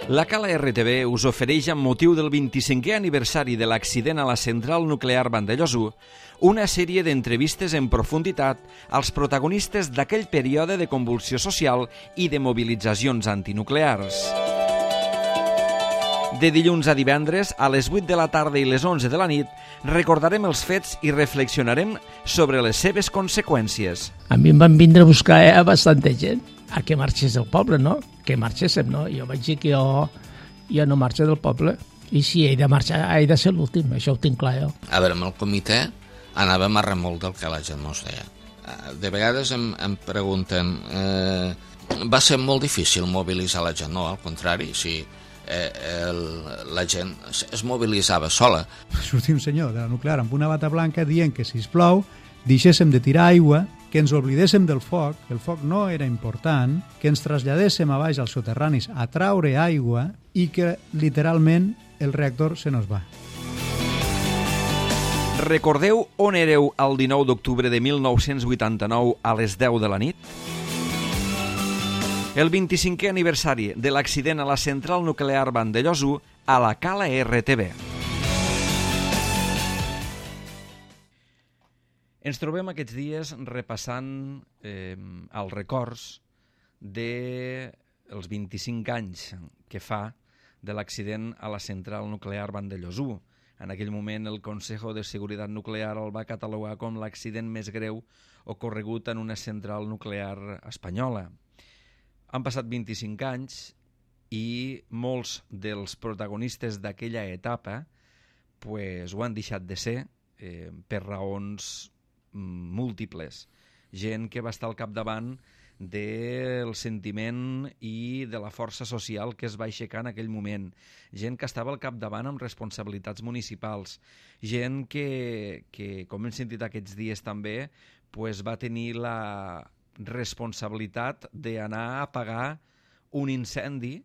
La Cala RTV us ofereix, amb motiu del 25è aniversari de l'accident a la central nuclear Vandellòs 1, una sèrie d'entrevistes en profunditat als protagonistes d'aquell període de convulsió social i de mobilitzacions antinuclears. De dilluns a divendres, a les 8 de la tarda i les 11 de la nit, recordarem els fets i reflexionarem sobre les seves conseqüències. A mi em van vindre a buscar bastanta gent a que marxés del poble, no? Que marxéssim, no? Jo vaig dir que jo no marxo del poble i si he de marxar he de ser l'últim, això ho tinc clar jo. A veure, amb el comitè anàvem a remolc del que la gent no es deia. De vegades em pregunten, va ser molt difícil mobilitzar la gent? No, al contrari, sí. La gent es mobilitzava sola. Sortia un senyor de la nuclear amb una bata blanca dient que, sisplau, deixéssim de tirar aigua, que ens oblidéssim del foc, que el foc no era important, que ens traslladéssim a baix als soterranis a traure aigua i que, literalment, el reactor se nos va. Recordeu on éreu el 19 d'octubre de 1989 a les 10 de la nit? El 25è aniversari de l'accident a la central nuclear Vandellòs 1 a la Cala RTV. Ens trobem aquests dies repassant els records dels 25 anys que fa de l'accident a la central nuclear Vandellòs 1. En aquell moment el Consejo de Seguridad Nuclear el va catalogar com l'accident més greu ocorregut en una central nuclear espanyola. Han passat 25 anys i molts dels protagonistes d'aquella etapa ho han deixat de ser per raons múltiples. Gent que va estar al capdavant del sentiment i de la força social que es va aixecar en aquell moment. Gent que estava al capdavant amb responsabilitats municipals. Gent que com hem sentit aquests dies també, va tenir la responsabilitat d'anar a apagar un incendi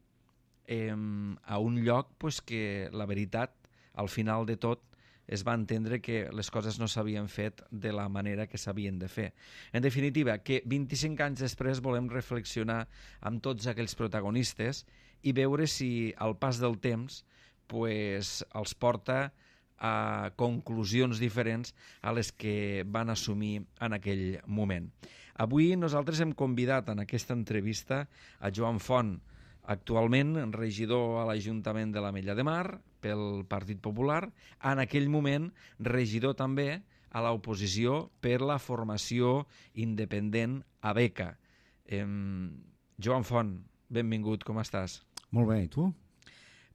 a un lloc que la veritat, al final de tot, es va entendre que les coses no s'havien fet de la manera que s'havien de fer. En definitiva, que 25 anys després volem reflexionar amb tots aquells protagonistes i veure si al pas del temps els porta a conclusions diferents a les que van assumir en aquell moment. Avui nosaltres hem convidat en aquesta entrevista a Joan Font, actualment regidor a l'Ajuntament de l'Ametlla de Mar pel Partit Popular, en aquell moment regidor també a l'oposició per la formació independent ABECA. Joan Font, benvingut, com estàs? Molt bé, i tu?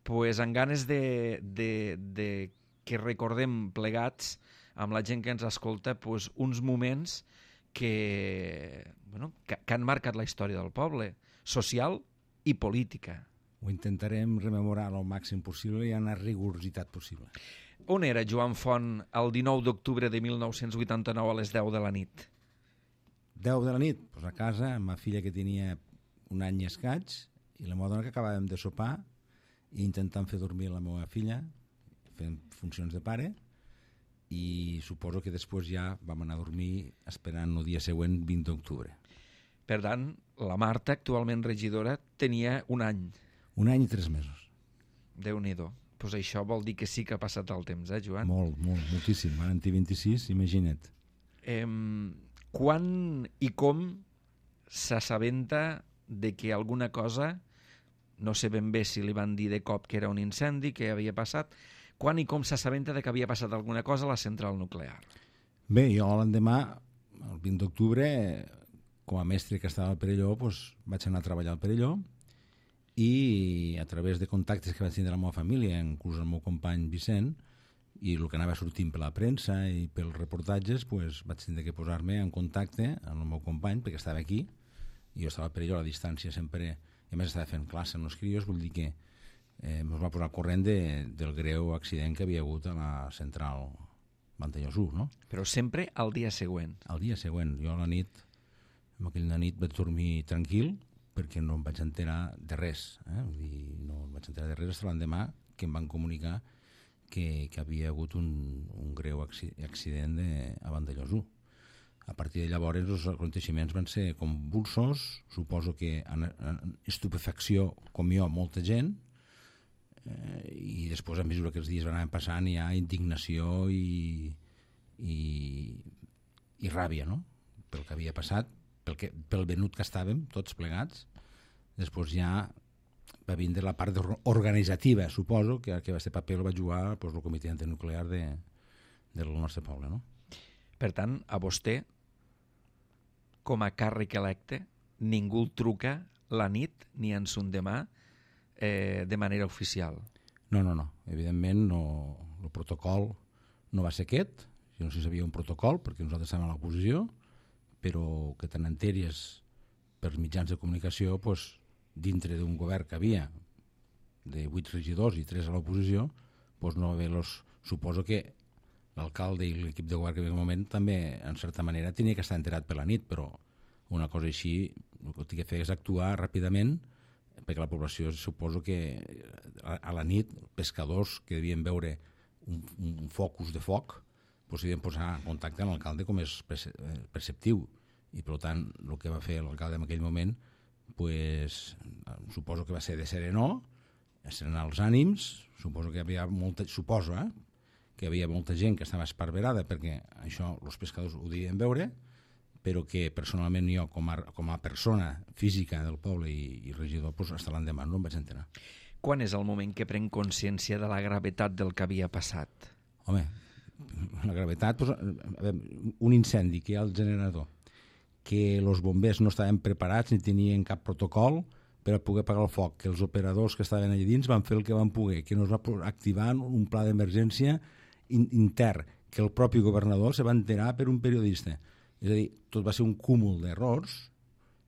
Amb ganes de que recordem plegats amb la gent que ens escolta uns moments que han marcat la història del poble, social i política. Ho intentarem rememorar al màxim possible i amb la rigorositat possible. On era Joan Font el 19 d'octubre de 1989 a les 10 de la nit? 10 de la nit? Pues a casa, amb ma filla que tenia un any i escaig i la meva dona que acabàvem de sopar i intentant fer dormir la meva filla, fent funcions de pare, i suposo que després ja vam anar a dormir esperant el dia següent, 20 d'octubre. Per tant, la Marta, actualment regidora, tenia un any. Un any i 3 mesos. Déu-n'hi-do. Doncs això vol dir que sí que ha passat el temps, Joan? Moltíssim. Van tenir 26, imagina't. Quan i com s'assabenta de que alguna cosa, no sé ben bé si li van dir de cop que era un incendi, que havia passat, quan i com s'assabenta de que havia passat alguna cosa a la central nuclear? Bé, jo l'endemà, el 20 d'octubre, com a mestre que estava al Perelló, vaig anar a treballar al Perelló i a través de contactes que vaig tenir de la meva família, inclús el meu company Vicent, i el que anava sortint per la premsa i pels reportatges, vaig tenir que posar-me en contacte amb el meu company, perquè estava aquí, i jo estava al Perelló a la distància sempre, i a més estava fent classe amb els crios, vull dir que ens va posar al corrent del greu accident que havia hagut a la central Vandellòs 1, no? Però sempre al dia següent. Al dia següent. Jo a la nit, en aquella nit vaig dormir tranquil perquè no em vaig enterar de res. Vull dir, no em vaig enterar de res fins l'endemà que em van comunicar que havia hagut un greu accident a Vandellòs 1. A partir de llavors els aconteixements van ser convulsos, suposo que en estupefacció com jo molta gent, i després, a mesura que els dies van anar passant, hi ha indignació i ràbia, no?, pel que havia passat, pel venut que estàvem tots plegats. Després ja va vindre la part organitzativa, suposo, que aquest paper el va jugar el comitè antinuclear del nostre poble, no? Per tant, a vostè, com a càrrec electe, ningú el truca la nit ni en son demà de manera oficial. No. Evidentment, el protocol no va ser aquest. Jo no sé si hi havia un protocol, perquè nosaltres estàvem a l'oposició, però que tant entèries per mitjans de comunicació, dintre d'un govern que havia de 8 regidors i 3 a l'oposició, no va haver suposo que l'alcalde i l'equip de govern que en aquell moment també, en certa manera, tenia que estar enterat per la nit, però una cosa així, el que tinc que fer és actuar ràpidament, perquè la població, suposo que a la nit, pescadors que devien veure un focus de foc, devien posar en contacte amb l'alcalde com és perceptiu, i per tant el que va fer l'alcalde en aquell moment, suposo que va ser de serenar els ànims, suposo que hi havia molta gent que estava esparverada perquè això els pescadors ho devien veure, però que personalment jo com a persona física del poble i regidor, fins l'endemà no em vaig enterar. Quan és el moment que pren consciència de la gravetat del que havia passat? Home, la gravetat, un incendi que hi ha al generador, que els bombers no estaven preparats ni tenien cap protocol per a poder apagar el foc, que els operadors que estaven allà dins van fer el que van poder, que no es va activar un pla d'emergència intern, que el propi governador se va enterar per un periodista. És a dir, tot va ser un cúmul d'errors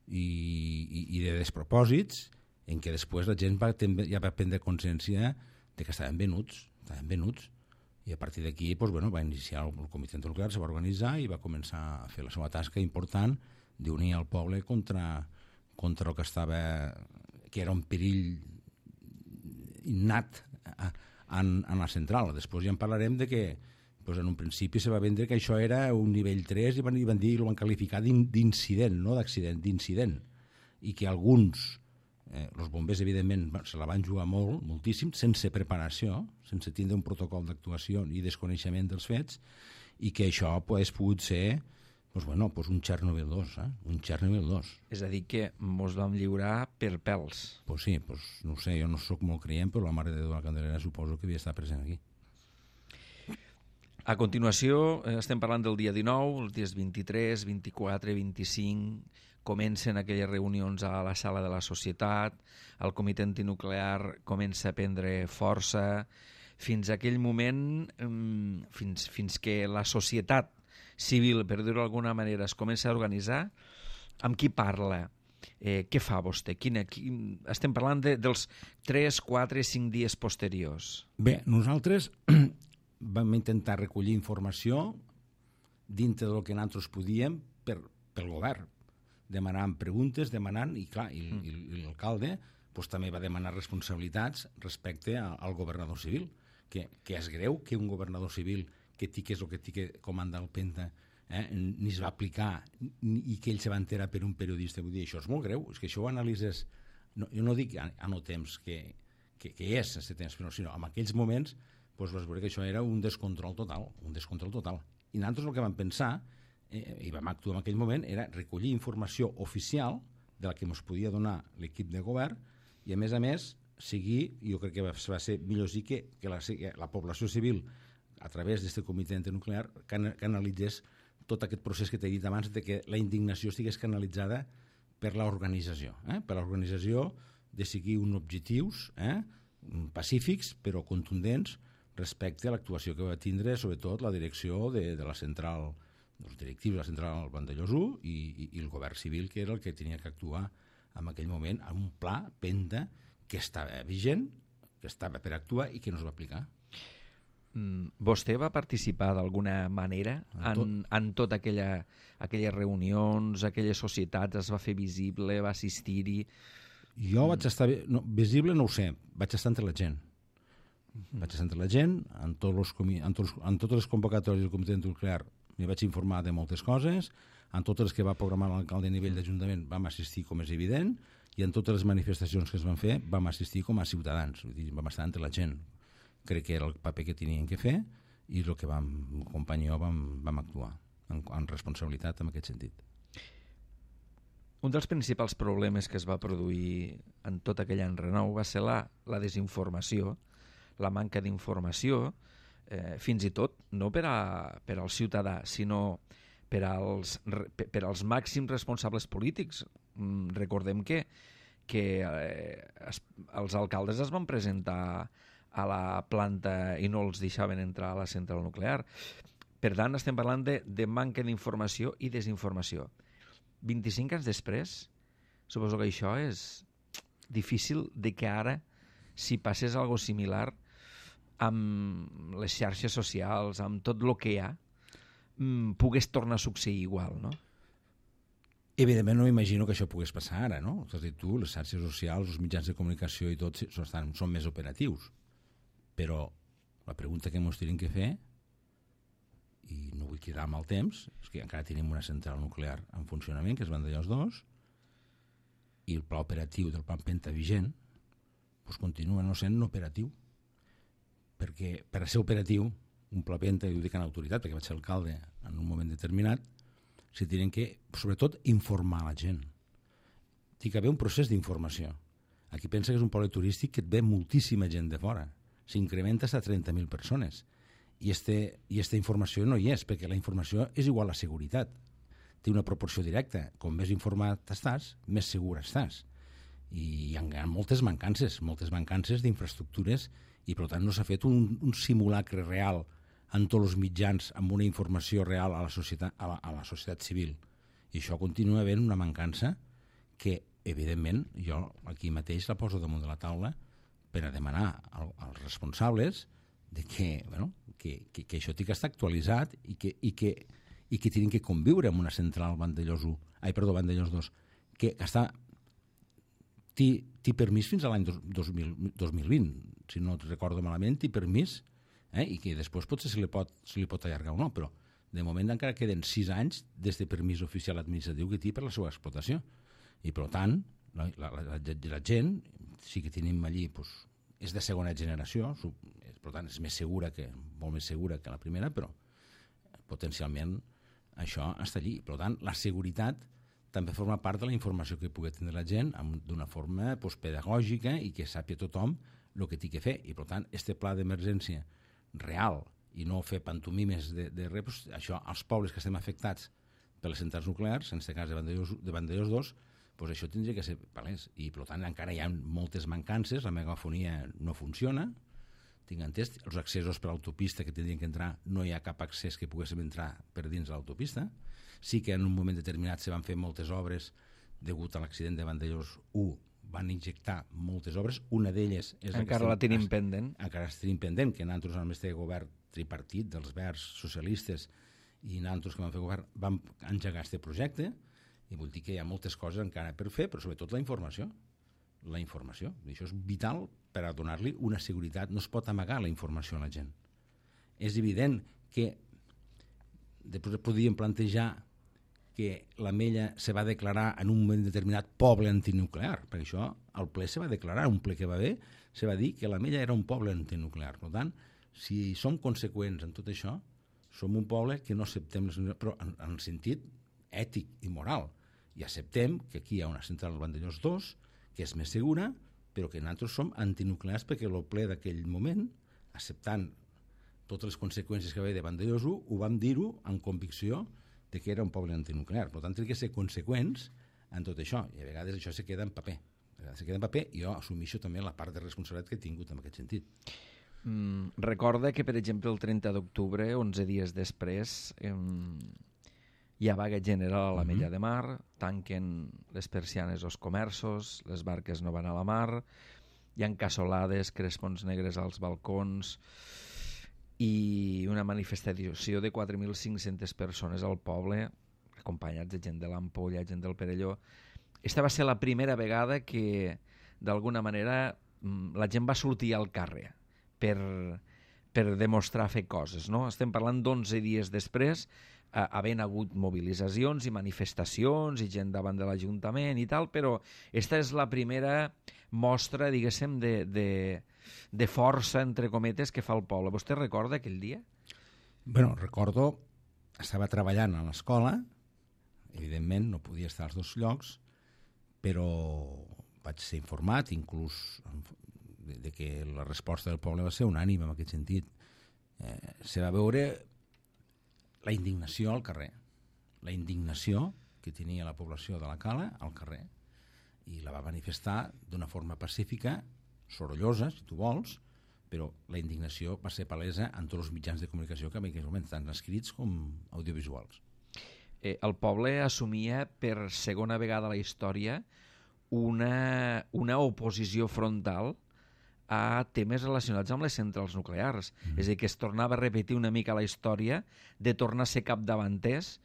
i de despropòsits en què després la gent ja va prendre consciència de que estaven venuts, i a partir d'aquí va iniciar el comitè antinuclear, se va organitzar i va començar a fer la seva tasca important d'unir el poble contra el que era un perill innat en la central. Després ja en parlarem de que en un principi se va vendre que això era un nivell 3 i van dir, ho van qualificar d'incident, no d'accident, d'incident, i que alguns, els bombers evidentment se la van jugar moltíssim, sense preparació, sense tindre un protocol d'actuació i desconeixement dels fets, i que això hagués pogut ser un Txernòbil 2, un Txernòbil 2. És a dir, que mos vam lliurar per pèls. Sí, no ho sé, jo no sóc molt creient, però la Mare de Déu de la Candelera suposo que havia estat present aquí. A continuació, estem parlant del dia 19, els dies 23, 24, 25, comencen aquelles reunions a la sala de la societat, el comitè antinuclear comença a prendre força, fins a aquell moment, fins que la societat civil, per dir-ho d'alguna manera, es comença a organitzar, amb qui parla? Què fa vostè? Estem parlant dels 3, 4, 5 dies posteriors. Bé, nosaltres vam intentar recollir informació dintre del que nosaltres podíem pel govern, demanant preguntes, i clar, i l'alcalde també va demanar responsabilitats respecte al governador civil, que és greu que un governador civil que és el que té que comandar el Penta ni es va aplicar i que ell se va enterar per un periodista. Vull dir, això és molt greu, és que això ho analitzes, jo no dic a no temps que és aquest temps, sinó en aquells moments vas veure que això era un descontrol total. I nosaltres el que vam pensar, i vam actuar en aquell moment, era recollir informació oficial de la que ens podia donar l'equip de govern i, a més, seguir, jo crec que va ser millor sí que la població civil, a través d'aquest comitè antinuclear, canalitzés tot aquest procés que t'he dit abans de que la indignació estigués canalitzada per l'organització, per l'organització de seguir uns objectius pacífics però contundents respecte a l'actuació que va tindre sobretot la direcció de la central, els directius de la central Vandellòs 1 i el govern civil, que era el que tenia que actuar en aquell moment amb un pla Penta que estava vigent, que estava per actuar i que no es va aplicar. Vostè va participar d'alguna manera en totes aquelles reunions, aquelles societats, es va fer visible, va assistir-hi? Jo vaig estar... visible no ho sé, vaig estar entre la gent. Vaig estar entre la gent, en totes les convocatòries del comitè nuclear m'hi vaig informar de moltes coses, en totes les que va programar l'alcalde a nivell d'Ajuntament vam assistir, com és evident, i en totes les manifestacions que es van fer vam assistir com a ciutadans, vull dir, vam estar entre la gent. Crec que era el paper que tenien que fer i el que vam, companyó, vam actuar en responsabilitat en aquest sentit. Un dels principals problemes que es va produir en tot aquell any renou va ser la desinformació, la manca d'informació, fins i tot no per al ciutadà, sinó per als màxims responsables polítics. Recordem que els alcaldes es van presentar a la planta i no els deixaven entrar a la central nuclear. Per tant, estem parlant de manca d'informació i desinformació. 25 anys després, suposo que això és difícil de que ara, si passés alguna cosa similar amb les xarxes socials, amb tot el que hi ha, pogués tornar a succeir igual, no? Evidentment no m'imagino que això pogués passar ara, no? És a dir, tu, les xarxes socials, els mitjans de comunicació i tot són més operatius. Però la pregunta que ens tenim que fer, i no vull quedar amb el temps, és que encara tenim una central nuclear en funcionament, que és Vandellòs 2, i el pla operatiu del Plan Penta vigent doncs continua no sent operatiu. Perquè per a ser operatiu, un pla Penta, i ho dic en autoritat, perquè vaig ser alcalde en un moment determinat, se tenen que, sobretot, informar la gent. Té que haver un procés d'informació. Aquí pensa que és un poble turístic que et ve moltíssima gent de fora. S'incrementa fins a 30.000 persones. I esta informació no hi és, perquè la informació és igual a seguretat. Té una proporció directa. Com més informat estàs, més segur estàs. I hi ha moltes mancances d'infraestructures i, per tant, no s'ha fet un simulacre real en tots els mitjans amb una informació real a la societat civil. I això continua havent una mancança que, evidentment, jo aquí mateix la poso damunt de la taula per a demanar als responsables de que això té que estar actualitzat i que tenen que conviure amb una central Vandellòs 2, que està té permís fins a l'any 2020, si no recordo malament, té permís, i que després potser se li pot allargar o no, però de moment encara queden 6 anys des de permís oficial administratiu que té per la seva explotació. I per tant, la gent, sí que tenim allí, és de segona generació, per tant és molt més segura que la primera, però potencialment això està allí. Per tant, la seguretat també forma part de la informació que pugui tenir la gent d'una forma pedagògica i que sàpiga tothom el que té que fer. I per tant, este pla d'emergència real i no fer pantomimes de res, això, als pobles que estem afectats per les centrals nuclears, en aquest cas de Vandellòs 2, això tindria que ser palès. I per tant encara hi ha moltes mancances, la megafonia no funciona, tinc entès, els accessos per l'autopista que tindrien que entrar, no hi ha cap accés que poguéssim entrar per dins de l'autopista. Sí que en un moment determinat se van fer moltes obres degut a l'accident de Vandellòs 1, van injectar moltes obres, una d'elles és... Encara la tenim pendent. Encara la tenim pendent, que nosaltres amb este govern tripartit dels verds socialistes i nosaltres que vam fer govern vam engegar este projecte, i vull dir que hi ha moltes coses encara per fer, però sobretot la informació. La informació. I això és vital per a donar-li una seguretat. No es pot amagar la informació a la gent. És evident que després podríem plantejar que l'Ametlla se va declarar en un moment determinat poble antinuclear, perquè això al ple se va declarar, un ple que va haver, se va dir que l'Ametlla era un poble antinuclear. Per tant, si som conseqüents en tot això, som un poble que no acceptem les nuclears, però en el sentit ètic i moral, i acceptem que aquí hi ha una central Vandellòs 2 que és més segura, però que nosaltres som antinuclears perquè el ple d'aquell moment, acceptant totes les conseqüències que va haver de Vandellòs 1, ho vam dir-ho amb convicció de que era un poble antinuclear. Per tant, hem de ser conseqüents en tot això, i a vegades això se queda en paper. I jo assumeixo també la part de responsabilitat que he tingut en aquest sentit. Recorda que, per exemple, el 30 d'octubre, 11 dies després, hi ha vaga general a l'Ametlla de Mar, tanquen les persianes als comerços, les barques no van a la mar, hi ha cassolades, crespons negres als balcons i una manifestació de 4.500 persones al poble, acompanyats de gent de l'Ampolla, gent del Perelló. Esta va ser la primera vegada que, d'alguna manera, la gent va sortir al carrer per demostrar fer coses, no? Estem parlant d'11 dies després. havent hagut mobilitzacions i manifestacions i gent davant de l'Ajuntament i tal, però esta és la primera mostra, diguéssim, de força, entre cometes, que fa el poble. Vostè recorda aquell dia? Bueno, recordo, estava treballant a l'escola, evidentment no podia estar als dos llocs, però vaig ser informat, inclús de que la resposta del poble va ser unànime en aquest sentit. Se va veure la indignació al carrer, la indignació que tenia la població de la Cala al carrer, i la va manifestar d'una forma pacífica, sorollosa, si tu vols, però la indignació va ser palesa en tots els mitjans de comunicació que en aquells moments, tant escrits com audiovisuals. El poble assumia per segona vegada a la història una oposició frontal a temes relacionats amb les centrals nuclears. És a dir, que es tornava a repetir una mica la història de tornar a ser capdavanters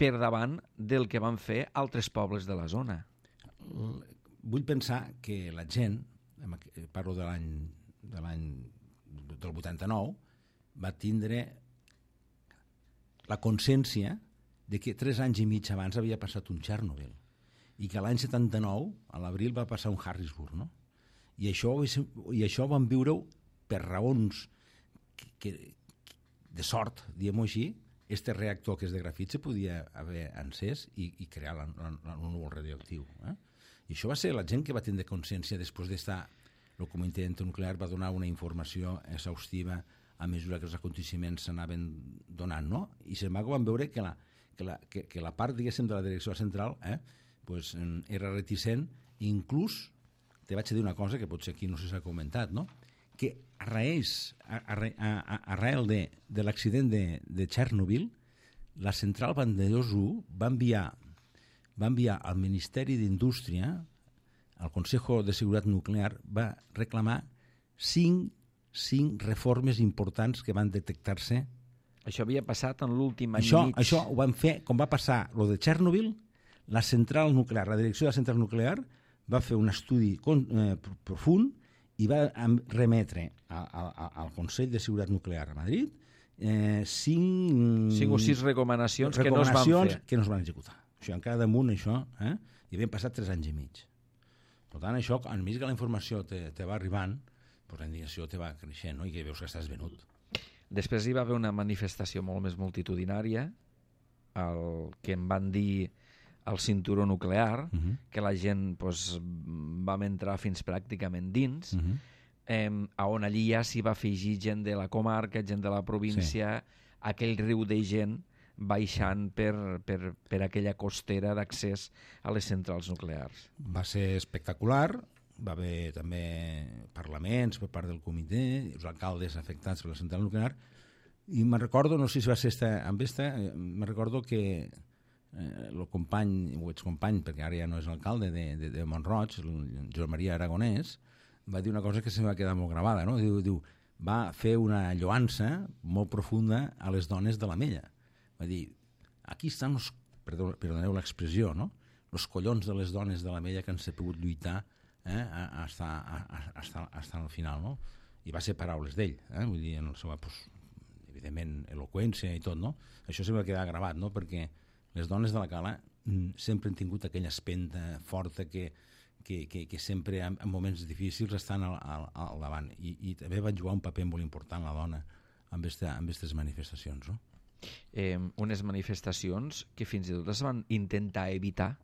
per davant del que van fer altres pobles de la zona. Vull pensar que la gent, parlo de l'any del 89, va tindre la consciència de que 3 anys i mig abans havia passat un Txernòbil i que l'any 79, a l'abril, va passar un Harrisburg, no? I això vam viure-ho per raons de sort, diguem-ho així. Este reactor que és de grafit se podia haver encès i crear un núvol radioactiu. I això va ser la gent que va tindre consciència després d'estar... El comitè nuclear va donar una informació exhaustiva a mesura que els aconteciments s'anaven donant, no? I sin embargo vam veure que la part, diguéssim, de la direcció central pues, era reticent, i inclús te vaig dir una cosa que potser aquí no s'ha comentat, no? Que arrel de l'accident de Txernòbil, la central Vandellós 1 va enviar al Ministeri d'Indústria, al Consejo de Seguretat Nuclear, va reclamar 5 reformes importants que van detectar-se. Això havia passat en l'últim any i mig. Això ho van fer, com va passar lo de Txernòbil, la central nuclear, la direcció de la central nuclear va fer un estudi profund i va remetre al Consell de Seguretat Nuclear a Madrid 5 o 6 recomanacions que no es van fer. Que no es van executar. Això, encara damunt això, i havien passat 3 anys i mig. Per tant, això, a més que la informació te va arribant, doncs la indignació te va creixent, no? I que veus que estàs venut. Després hi va haver una manifestació molt més multitudinària, el que em van dir el cinturó nuclear, que la gent vam entrar fins pràcticament dins, on allí ja s'hi va afegir gent de la comarca, gent de la província, aquell riu de gent baixant per aquella costera d'accés a les centrals nuclears. Va ser espectacular, va haver també parlaments per part del comitè, els alcaldes afectats per la central nuclear, i me'n recordo, no sé si va ser me'n recordo que el company, o excompany, perquè ara ja no és alcalde de Mont-roig, el Joan Maria Aragonès, va dir una cosa que se va quedar molt gravada, no? Diu, va fer una lloança molt profunda a les dones de l'Ametlla. Va dir, aquí estan els, perdoneu l'expressió, no? Els collons de les dones de l'Ametlla que han sabut lluitar hasta el final, no? I va ser paraules d'ell, vull dir, en el seu, evidentment, eloqüència i tot, no? Això se va quedar gravat, no? Perquè les dones de la Cala sempre han tingut aquella espenta forta que sempre en moments difícils estan al davant, i també va jugar un paper molt important la dona amb aquestes manifestacions, no? Unes manifestacions que fins i tot es van intentar evitar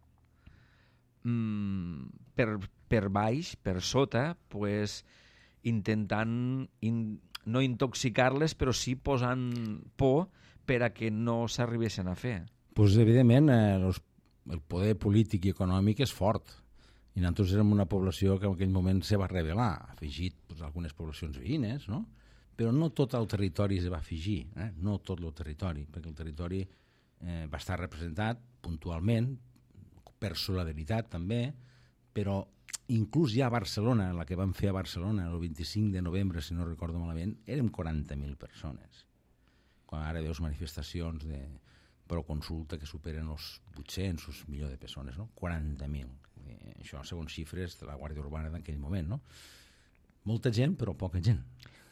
per baix, per sota, intentant no intoxicar-les, però sí posant por per a que no s'arribessin a fer. Pues, evidentment, el poder polític i econòmic és fort, i nosaltres érem una població que en aquell moment se va rebel·lar, afegit algunes poblacions veïnes, no? Però no tot el territori es va afegir, no tot el territori, perquè el territori va estar representat puntualment, per solidaritat també, però inclús ja a Barcelona, la que vam fer a Barcelona el 25 de novembre, si no recordo malament, érem 40.000 persones. Quan ara veus manifestacions de proconsulta que superen els 800, els milions de persones, no? 40.000. Això segons xifres de la Guàrdia Urbana d'aquell moment, no? Molta gent, però poca gent.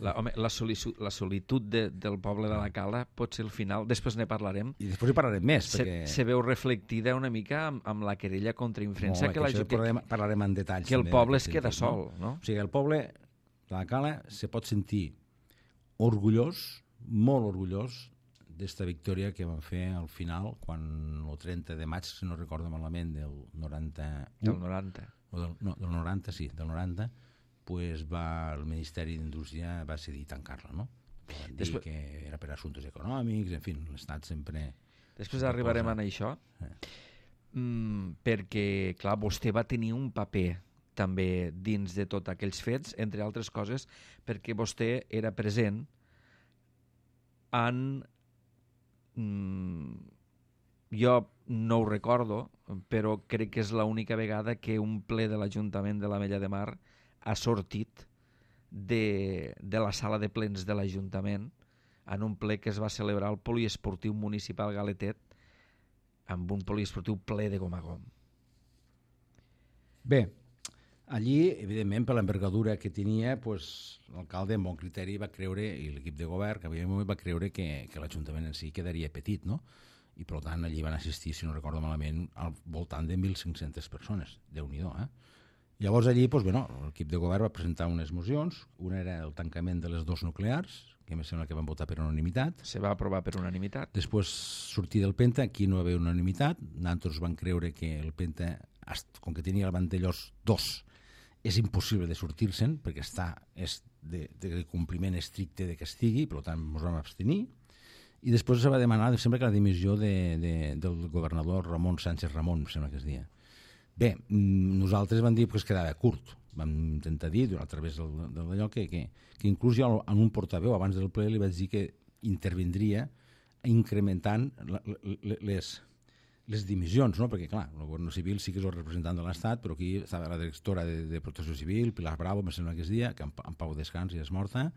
La solitud del poble de la Cala pot ser el final, després ne parlarem. I després hi parlarem més, perquè... Se veu reflectida una mica amb la querella contra Infrensa, parlarem en detalls. Que el poble es queda sol, no? O sigui, el poble de la Cala se pot sentir orgullós, molt orgullós, d'esta victòria que van fer al final, quan el 30 de maig, si no recordo malament, del 91... Del 90. Del 90, sí, del 90, pues el Ministeri d'Indústria va decidir tancar-la, no? Van dir que era per assumptes econòmics, en fi, l'Estat sempre... Després arribarem a això, perquè, clar, vostè va tenir un paper també dins de tots aquells fets, entre altres coses, perquè vostè era present en... jo no ho recordo, però crec que és l'única vegada que un ple de l'Ajuntament de l'Ametlla de Mar ha sortit de la sala de plens de l'Ajuntament en un ple que es va celebrar al Poliesportiu Municipal Galetet, amb un poliesportiu ple de gom a gom. Bé, allí, evidentment, per l'envergadura que tenia, pues, l'alcalde, amb bon criteri, va creure, i l'equip de govern, que havia va creure que l'Ajuntament en si quedaria petit, no? I, per tant, allí van assistir, si no recordo malament, al voltant de 1.500 persones. Déu-n'hi-do, eh? Llavors, allí, pues, bueno, l'equip de govern va presentar unes mocions. Una era el tancament de les 2 nuclears, que em sembla que van votar per unanimitat. Se va aprovar per unanimitat. Després, sortir del Penta, aquí no hi va haver unanimitat. Nosaltres van creure que el Penta, com que tenia el Vandellós 2, és impossible de sortir-se'n, perquè és de compliment estricte de que estigui, per tant, ens vam abstenir. I després se va demanar, sembla que la dimissió del governador Ramon Sánchez Ramon, sembla que es deia. Bé, nosaltres vam dir que es quedava curt. Vam intentar dir, a través d'allò, que inclús jo en un portaveu, abans del ple, li vaig dir que intervindria incrementant les dimissions, no? Perquè, clar, el govern civil sí que és el representant de l'Estat, però aquí estava la directora de Protecció Civil, Pilar Bravo, em sembla que es dia, que en pau descans i és morta.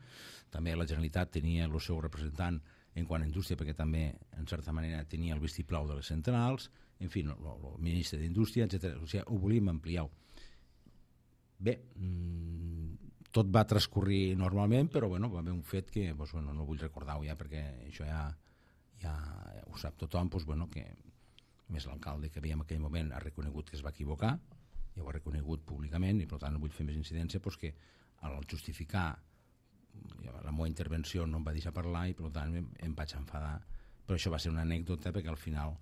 També la Generalitat tenia el seu representant en quant a indústria, perquè també, en certa manera, tenia el vistiplau de les centrals, en fi, el ministre d'Indústria, etc. O sigui, ho volíem ampliar. Bé, tot va transcorrir normalment, però bueno, va haver un fet que no vull recordar-ho ja, perquè això ja ho sap tothom, que més l'alcalde que havia en aquell moment ha reconegut que es va equivocar, ja ho ha reconegut públicament, i per tant no vull fer més incidència, que al justificar la meva intervenció no em va deixar parlar i per tant em vaig enfadar, però això va ser una anècdota perquè al final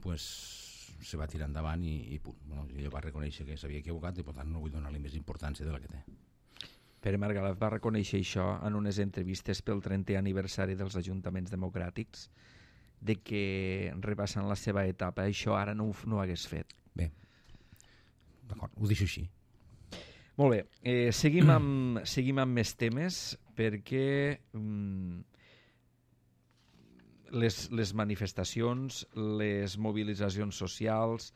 se va tirar endavant i punt. Ell va reconèixer que s'havia equivocat i per tant no vull donar-li més importància de la que té. Pere Margalef va reconèixer això en unes entrevistes pel 30è aniversari dels Ajuntaments Democràtics, de que repassant la seva etapa això ara no ho hagués fet. Bé, d'acord, ho deixo així. Molt bé, seguim amb més temes, perquè les manifestacions, les mobilitzacions socials,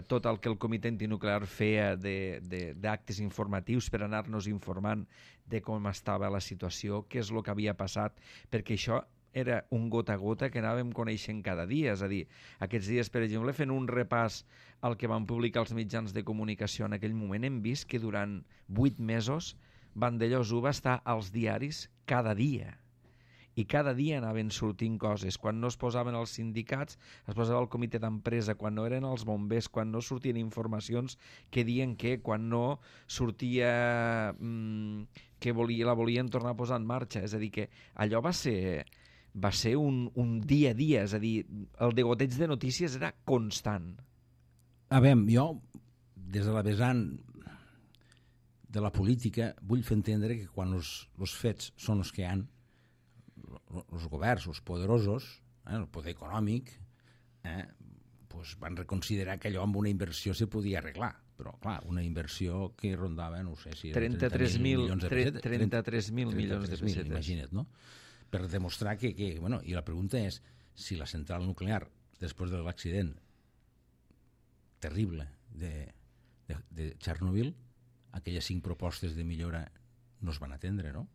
tot el que el Comitè Antinuclear feia d'actes informatius per anar-nos informant de com estava la situació, què és el que havia passat, perquè això era un gota a gota que anàvem coneixent cada dia. És a dir, aquests dies, per exemple, fent un repàs al que van publicar els mitjans de comunicació en aquell moment, hem vist que durant 8 mesos Vandellós va estar als diaris cada dia. I cada dia anaven sortint coses. Quan no es posaven els sindicats, es posava el comitè d'empresa. Quan no eren els bombers, quan no sortien informacions que diuen que quan no sortia que la volien tornar a posar en marxa. És a dir, que allò va ser un dia a dia. És a dir, el degoteig de notícies era constant. A veure, jo, des de la vessant de la política, vull fer entendre que quan els fets són els que hi ha, els governs, els poderosos, el poder econòmic, van reconsiderar que allò amb una inversió se podia arreglar. Però, clar, una inversió que rondava, no sé si... 33.000 milions de pessetes. Imagina't, no? Per demostrar que... I la pregunta és si la central nuclear, després de l'accident terrible de Chernobyl, aquelles 5 propostes de millora no es van atendre, no?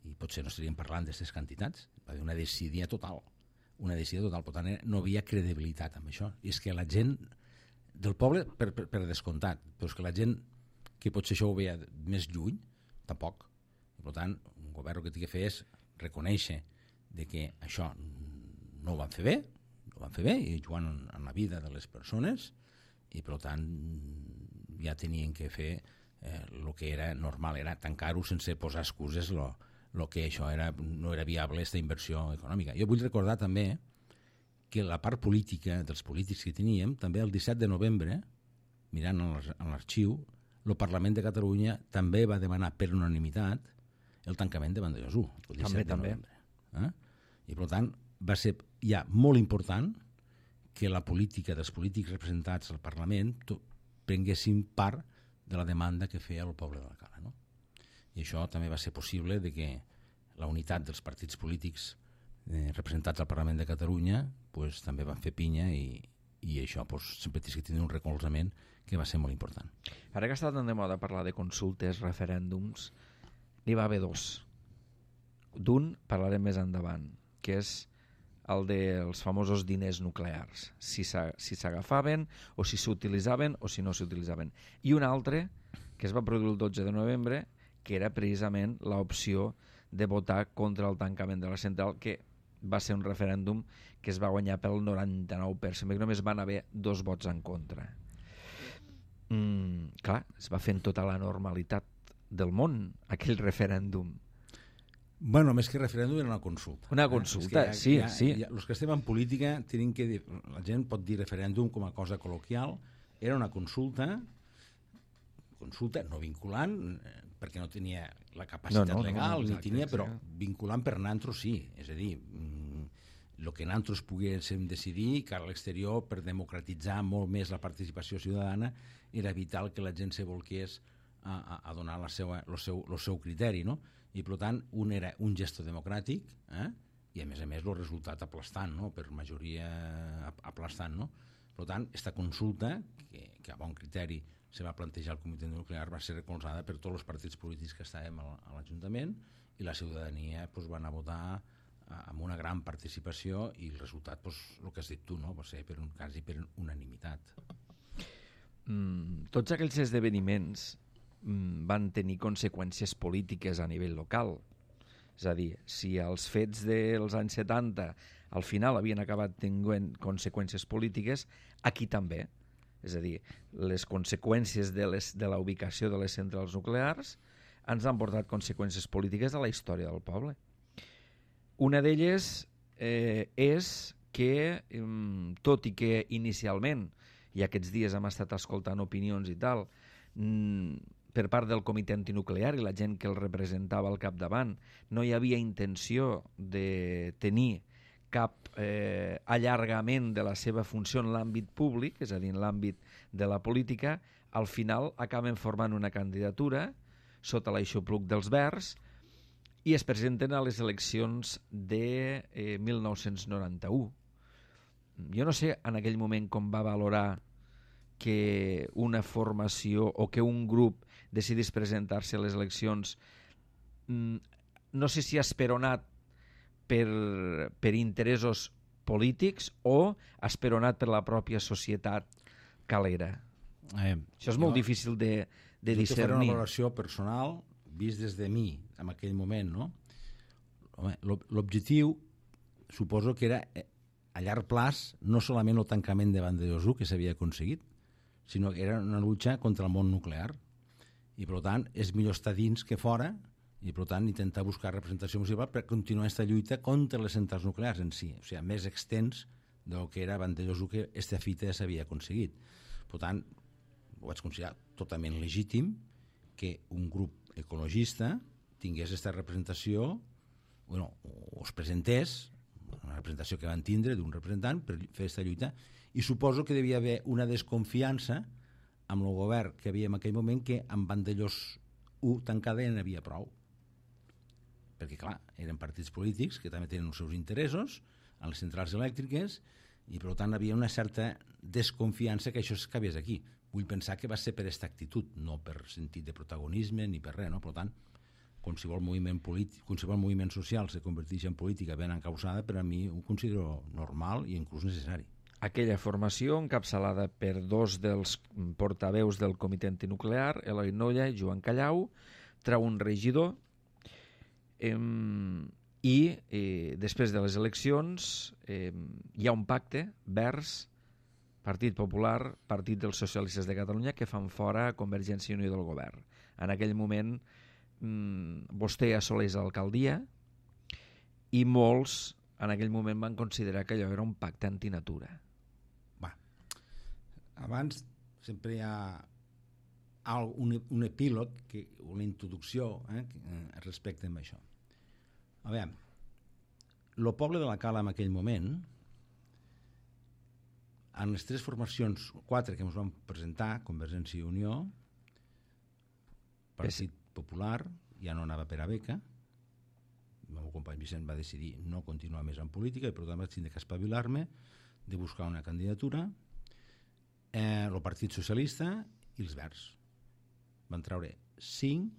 I potser no estaríem parlant d'aquestes quantitats. Va haver una decisió total. Per tant, no havia credibilitat amb això. I és que la gent del poble, per descomptat, però és que la gent que potser això ho veia més lluny, tampoc. I per tant, govern el que té que fer és reconèixer de que això no ho van fer bé, i jugant en la vida de les persones, i per tant ja tenien que fer el que era normal, era tancar-ho sense posar excuses lo que això no era viable, aquesta inversió econòmica. Jo vull recordar també que la part política dels polítics que teníem, també el 17 de novembre, mirant en l'arxiu, el Parlament de Catalunya també va demanar per unanimitat el tancament de Vandellòs 1, el 17 de novembre. I per tant va ser ja molt important que la política dels polítics representats al Parlament prenguessin part de la demanda que feia el poble d'Alcalá, no? I això també va ser possible de que la unitat dels partits polítics representats al Parlament de Catalunya pues, també van fer pinya i això pues, sempre té que tenir un recolzament que va ser molt important. Ara que està tan de moda parlar de consultes, referèndums, n'hi va haver dos. D'un parlarem més endavant, que és el dels famosos diners nuclears, si s'agafaven o si s'utilitzaven o si no s'utilitzaven. I un altre, que es va produir el 12 de novembre, que era precisament l'opció de votar contra el tancament de la central, que va ser un referèndum que es va guanyar pel 99%, perquè només van haver 2 vots en contra. Clar, es va fer en tota la normalitat del món, aquell referèndum. Bueno, més que referèndum era una consulta. Una consulta, sí. Els que estem en política tenim que dir, la gent pot dir referèndum com a cosa col·loquial, era una consulta no vinculant, perquè no tenia la capacitat legal, ni tenia, però vinculant per nosaltres sí, és a dir, el que nosaltres poguéssim decidir, que a l'exterior, per democratitzar molt més la participació ciutadana, era vital que la gent se volqués a donar el seu criteri, no? I per tant un era un gesto democràtic i a més el resultat aplastant, no? Per majoria aplastant, no? Per tant, aquesta consulta que a bon criteri se va plantejar al Comitè Nuclear va ser recolzada per tots els partits polítics que estàvem a l'Ajuntament i la ciutadania va anar a votar amb una gran participació i el resultat, el que has dit tu, no? Va ser quasi per unanimitat. Tots aquells esdeveniments van tenir conseqüències polítiques a nivell local. És a dir, si els fets dels anys 70 al final havien acabat tenint conseqüències polítiques, aquí també. És a dir, les conseqüències de la ubicació de les centrals nuclears ens han portat conseqüències polítiques a la història del poble. Una d'elles és que, tot i que inicialment, i aquests dies hem estat escoltant opinions i tal, per part del comitè antinuclear i la gent que el representava al capdavant, no hi havia intenció de tenir cap allargament de la seva funció en l'àmbit públic, és a dir, en l'àmbit de la política, al final acaben formant una candidatura sota l'aixopluc dels Verds i es presenten a les eleccions de 1991. Jo no sé en aquell moment com va valorar que una formació o que un grup decidís presentar-se a les eleccions, no sé si esperonat per interessos polítics o esperonat per la pròpia societat calera. Això és molt difícil de discernir. Jo faré una valoració personal vist des de mi en aquell moment, no? L'objectiu suposo que era a llarg plaç no solament el tancament de Vandellòs 1 que s'havia aconseguit, sinó que era una lucha contra el món nuclear i per tant és millor estar dins que fora i per tant intentar buscar representació municipal per continuar aquesta lluita contra les centrals nuclears en si, o sigui, més extens del que era Vandellòs 1 que aquesta fita ja s'havia aconseguit. Per tant, ho vaig considerar totalment legítim que un grup ecologista tingués aquesta representació, o es presentés, una representació que van tindre d'un representant per fer aquesta lluita, i suposo que devia haver una desconfiança amb el govern que havia en aquell moment que amb Vandellòs 1 tancada ja n'hi havia prou. Perquè, clar, eren partits polítics que també tenen els seus interessos en les centrals elèctriques i, per tant, havia una certa desconfiança que això es acabés aquí. Vull pensar que va ser per aquesta actitud, no per sentit de protagonisme ni per res, no? Per tant, qualsevol moviment polític, qualsevol moviment social se converteix en política ben encausada, per a mi ho considero normal i inclús necessari. Aquella formació, encapçalada per 2 dels portaveus del comitè antinuclear, Eloi Nolla i Joan Callau, treu un regidor després de les eleccions hi ha un pacte vers Partit Popular, Partit dels Socialistes de Catalunya, que fan fora Convergència i Unió del govern. En aquell moment vostè assoleix l'alcaldia i molts en aquell moment van considerar que allò era un pacte antinatura. Abans sempre hi ha un epílog, una introducció respecte a això. A veure, el poble de la Cala en aquell moment, en les 3 formacions, 4 que ens van presentar, Convergència i Unió, Partit Popular, ja no anava per a beca, el meu company Vicent va decidir no continuar més en política i per tant vaig tindre que espavilar-me de buscar una candidatura, el Partit Socialista i els Verds. Van treure 5,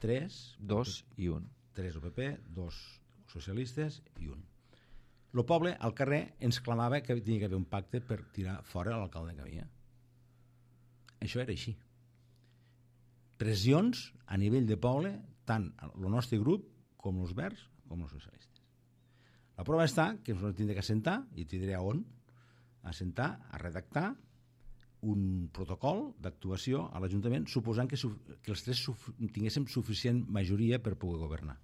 3... 2 i 1. 3 UPP, 2 socialistes i 1. El poble, al carrer, ens clamava que tenia que haver un pacte per tirar fora l'alcalde que havia. Això era així. Pressions a nivell de poble, tant el nostre grup com els Verds com els socialistes. La prova està que ens vam tindre que assentar, i t'hi diré a on, a redactar un protocol d'actuació a l'Ajuntament suposant que els 3 tinguéssim suficient majoria per poder governar.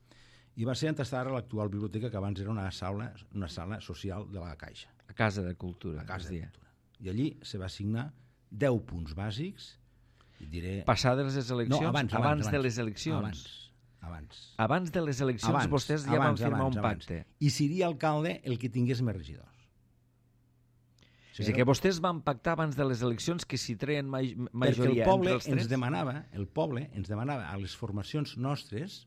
I va ser entestar a l'actual biblioteca, que abans era una sala social de la Caixa. A Casa de Cultura. A Casa de Cultura. I allí se va assignar 10 punts bàsics. I diré... Passades les eleccions? No, abans de les eleccions? Abans de les eleccions vostès ja van firmar un pacte. I seria alcalde el que tingués més regidors. O sigui que vostès van pactar abans de les eleccions que si treien majoria entre els 3. Perquè el poble ens demanava a les formacions nostres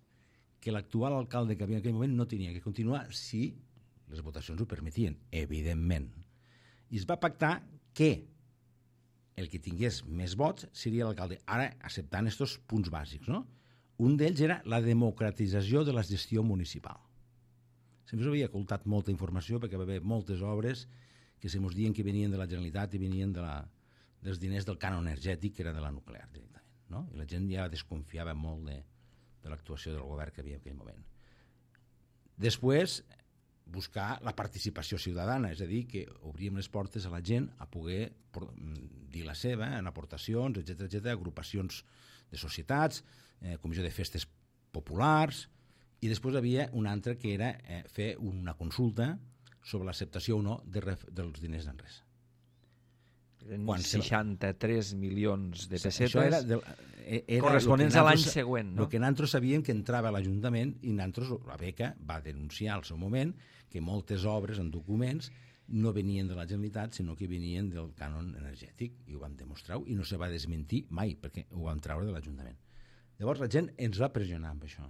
que l'actual alcalde que havia en aquell moment no tenia que continuar si les votacions ho permetien, evidentment. I es va pactar que el que tingués més vots seria l'alcalde. Ara, acceptant aquests punts bàsics, no? Un d'ells era la democratització de la gestió municipal. Sempre s'havia ocultat molta informació perquè va haver moltes obres que se mos diuen que venien de la Generalitat i venien dels diners del cànon energètic, que era de la nuclear directament, no? I la gent ja desconfiava molt de l'actuació del govern que havia en aquell moment. Després, buscar la participació ciutadana, és a dir, que obríem les portes a la gent a poder dir la seva en aportacions, etc, agrupacions de societats, comissió de festes populars, i després havia una altra que era fer una consulta sobre l'acceptació o no dels diners d'enresa. 63 milions de pessetes era corresponents a l'any següent, no? El que nosaltres sabíem que entrava a l'Ajuntament i nosaltres, la beca va denunciar al seu moment que moltes obres en documents no venien de la Generalitat, sinó que venien del cànon energètic, i ho vam demostrar i no se va desmentir mai, perquè ho vam treure de l'Ajuntament. Llavors la gent ens va pressionar amb això.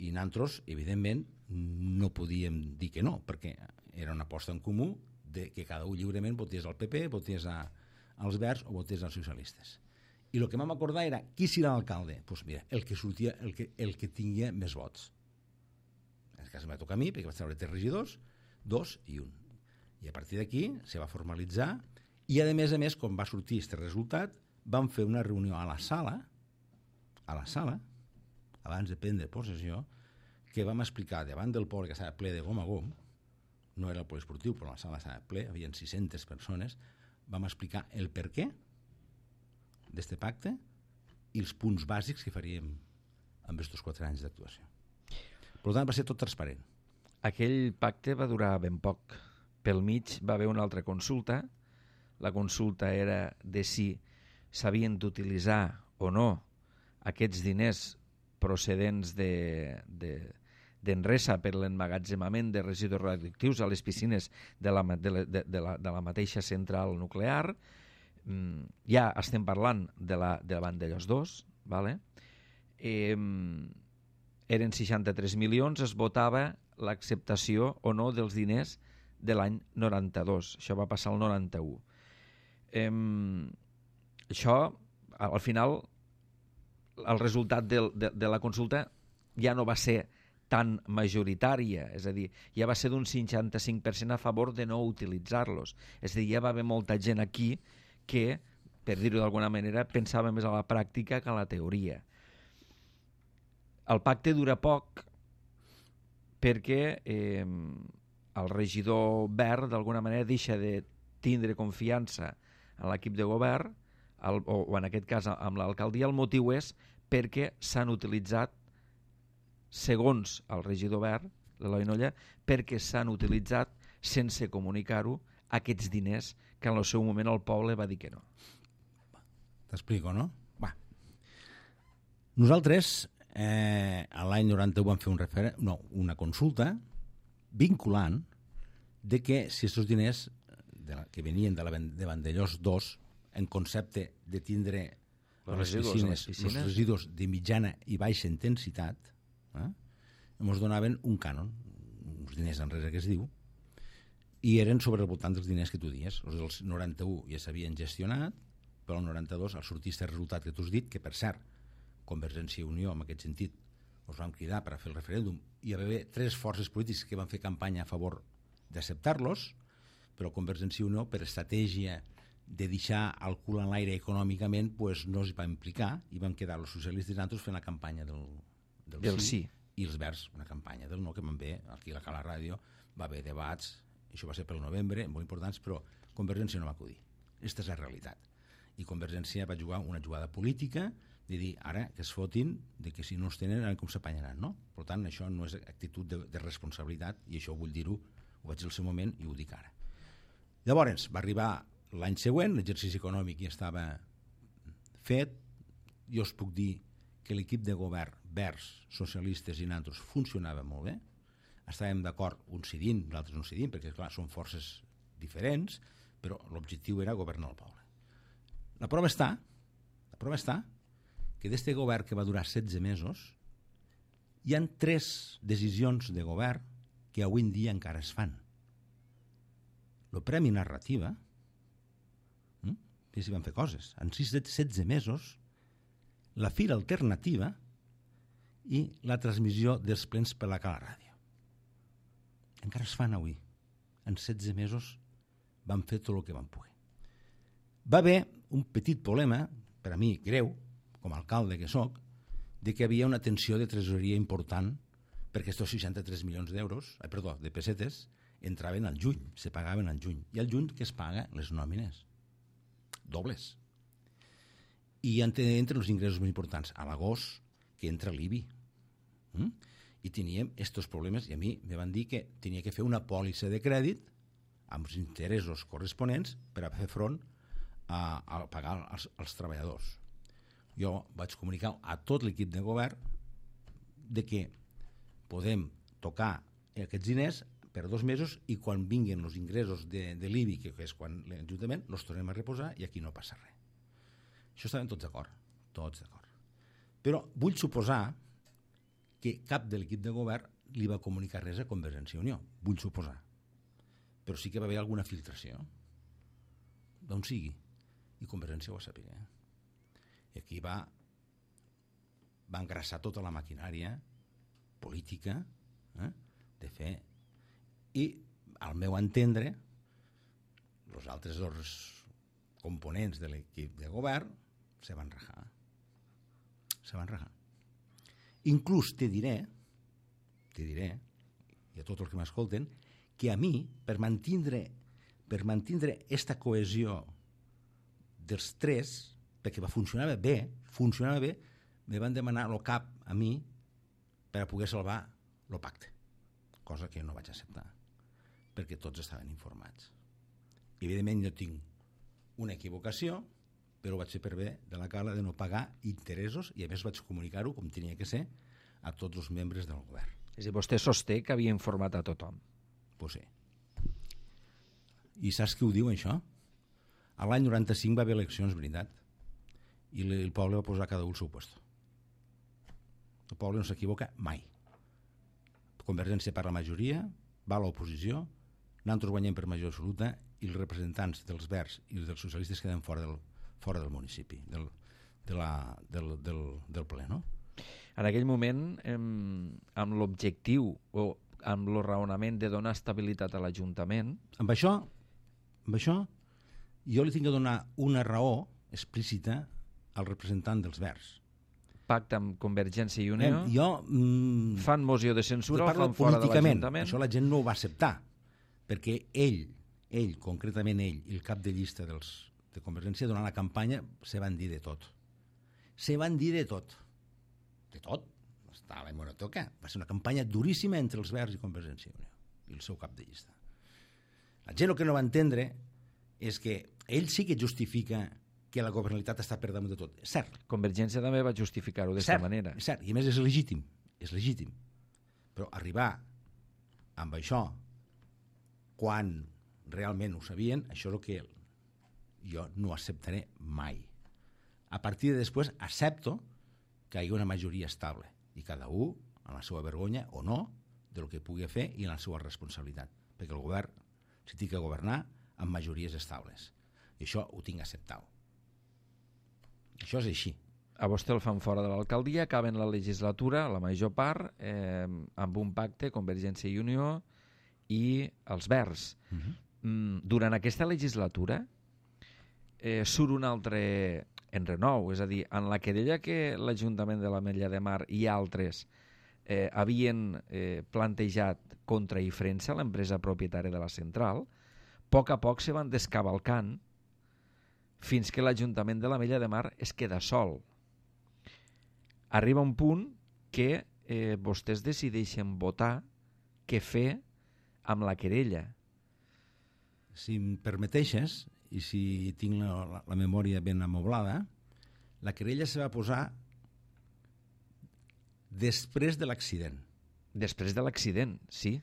I nosaltres, evidentment, no podíem dir que no, perquè era una aposta en comú de que cada un lliurement votés al PP, votés als Verds o votés als socialistes. I el que vam acordar era qui serà l'alcalde? Doncs mira, el que sortia, el que tinguia més vots. En aquest cas em va tocar a mi, perquè vaig treure 3 regidors, 2 i 1. I a partir d'aquí se va formalitzar i, a més, quan va sortir aquest resultat, vam fer una reunió a la sala, abans de prendre possessió, que vam explicar davant del poble que estava ple de gom a gom, no era el poliesportiu, però la sala estava ple, hi havia 600 persones, vam explicar el per què d'este pacte i els punts bàsics que faríem amb aquests 4 anys d'actuació. Per tant, va ser tot transparent. Aquell pacte va durar ben poc. Pel mig va haver una altra consulta. La consulta era de si s'havien d'utilitzar o no aquests diners procedents d'Enresa per l'emmagatzemament de residus radioactius a les piscines de la mateixa central nuclear. Ja estem parlant de Vandellòs 2, ¿vale? Eren 63 milions, es votava l'acceptació o no dels diners de l'any 92. Això va passar al 91. Això, al final, el resultat de la consulta ja no va ser tan majoritària, és a dir, ja va ser d'un 55% a favor de no utilitzar-los. És a dir, ja va haver molta gent aquí que, per dir-ho d'alguna manera, pensava més a la pràctica que a la teoria. El pacte dura poc perquè el regidor verd d'alguna manera deixa de tindre confiança en l'equip de govern o en aquest cas amb l'alcaldia. El motiu és perquè s'han utilitzat, segons el regidor verd, l'Eloi Nolla, perquè s'han utilitzat sense comunicar-ho aquests diners que en el seu moment el poble va dir que no. T'explico, no? Va. Nosaltres l'any 91 vam fer una consulta vinculant de que si aquests diners que venien de Vandellós 2 en concepte de tindre les piscines, els residus de mitjana i baixa intensitat, ens donaven un cànon, uns diners enrere que es diu, i eren sobre el voltant dels diners que tu dies. Els del 91 ja s'havien gestionat, però el 92 al sortir aquest resultat que tu has dit, que per cert, Convergència i Unió, en aquest sentit, us vam cridar per a fer el referèndum, i hi va haver 3 forces polítiques que van fer campanya a favor d'acceptar-los, però Convergència i Unió, per estratègia de deixar el cul en l'aire econòmicament, pues no es va implicar i vam quedar els socialistes i nosaltres fent la campanya del sí, i els verds una campanya del no, que van bé, aquí a la ràdio va haver debats, això va ser pel novembre, molt importants, però Convergència no va acudir. Aquesta és la realitat. I Convergència va jugar una jugada política de dir, ara que es fotin, de que si no es tenen, ara com s'apanyaran, no? Per tant, això no és actitud de responsabilitat, i això vull dir-ho, ho vaig dir al seu moment i ho dic ara. Llavors, va arribar l'any següent, l'exercici econòmic ja estava fet, jo us puc dir que l'equip de govern verds, socialistes i nosaltres funcionava molt bé, estàvem d'acord uns cedint, nosaltres no cedint, perquè clar, són forces diferents, però l'objectiu era governar el poble. La prova està que d'este govern que va durar 16 mesos hi han 3 decisions de govern que avui en dia encara es fan. El Premi Narrativa, que s'hi van fer coses, en 16 mesos, la Fira Alternativa i la transmissió dels plens per la Cala Ràdio. Encara es fan avui. En 16 mesos van fer tot el que van poder. Va haver un petit problema, per a mi greu, com a alcalde que soc, de que hi havia una tensió de tresoreria important perquè aquests 63 milions de pessetes entraven al juny, se pagaven al juny. I al juny que es paga les nòmines dobles. I entre els ingressos més importants, a l'agost, que entra l'IBI. I teníem aquests problemes, i a mi me van dir que tenia que fer una pòlissa de crèdit amb els interessos corresponents per a fer front a pagar als treballadors. Jo vaig comunicar a tot l'equip de govern de que podem tocar aquests diners per 2 mesos i quan vinguin els ingressos de l'IBI, que és quan l'Ajuntament, els tornem a reposar i aquí no passa res. Això estaven tots d'acord, tots d'acord. Però vull suposar que cap de l'equip de govern li va comunicar res a Convergència i Unió, vull suposar. Però sí que va haver alguna filtració, d'on sigui, i Convergència ho va saber. I aquí va engrassar tota la maquinària política de fer. I, al meu entendre, els altres 2 components de l'equip de govern se van rajar. Inclús te diré, i a tots els que m'escolten, que a mi, per mantindre esta cohesió dels 3, perquè funcionava bé, me van demanar el cap a mi per a poder salvar el pacte, cosa que no vaig acceptar, perquè tots estaven informats. Evidentment jo tinc una equivocació, però vaig fer per bé de la Cala de no pagar interessos i a més vaig comunicar-ho com tenia que ser a tots els membres del govern. És a dir, vostè sosté que havia informat a tothom. Pues sí. I saps qui ho diu, això? A l'any 95 va haver eleccions, veritat, i el poble va posar cada un al seu lloc. El poble no s'equivoca mai. Convergència per la majoria, va a l'oposició, nosaltres guanyem per majoria absoluta i els representants dels verds i dels socialistes queden fora del municipi, del ple, no? En aquell moment, amb l'objectiu o amb el raonament de donar estabilitat a l'Ajuntament... Amb això, jo li tinc que donar una raó explícita al representant dels verds. pacte amb Convergència i Unió, fan moció de censura, el fan fora de l'Ajuntament. Això la gent no ho va acceptar, perquè ell, concretament ell, i el cap de llista de Convergència, durant la campanya, se van dir de tot. Se van dir de tot. De tot. Estava en monotoca. Va ser una campanya duríssima entre els Verds i Convergència i Unió, i el seu cap de llista. La gent el que no va entendre és que ell sí que justifica que la governabilitat està per damunt de tot. És cert. Convergència també va justificar-ho d'aquesta manera. És cert, i a més és legítim. És legítim. Però arribar amb això, quan realment ho sabien, això és el que jo no acceptaré mai. A partir de després accepto que hi hagi una majoria estable i cada un amb la seva vergonya o no del que pugui fer i en la seva responsabilitat. Perquè el govern si té que governar amb majories estables. I això ho tinc acceptat. Això és així. A vostè el fan fora de l'alcaldia, acaben la legislatura, la major part, amb un pacte, Convergència i Unió i els Verds. Durant aquesta legislatura surt un altre enrenou, és a dir, en la querella que l'Ajuntament de l'Ametlla de Mar i altres havien plantejat contra Ifrensa, l'empresa propietària de la central, a poc se van descavalcant fins que l'Ajuntament de l'Ametlla de Mar es queda sol. Arriba un punt que vostès decideixen votar què fer amb la querella. Si em permeteixes, i si tinc la memòria ben amoblada, la querella se va posar després de l'accident. Després de l'accident, sí.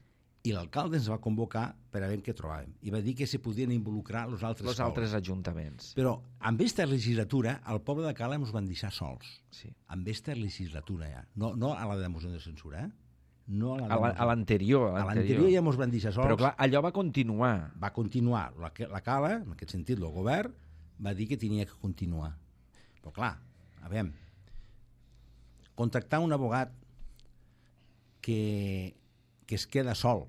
I l'alcalde ens va convocar per a veure què trobàvem. I va dir que se podien involucrar els altres ajuntaments. Però amb aquesta legislatura, al poble de Cala ens van deixar sols. Sí. Amb aquesta legislatura ja. No a la de moció de censura, No a l'anterior. A l'anterior ja ens van deixar sols. Però clar, allò va continuar. Va continuar. La Cala, en aquest sentit, el govern, va dir que tenia que continuar. Però clar, a veure, contractar un abogat que es queda sol,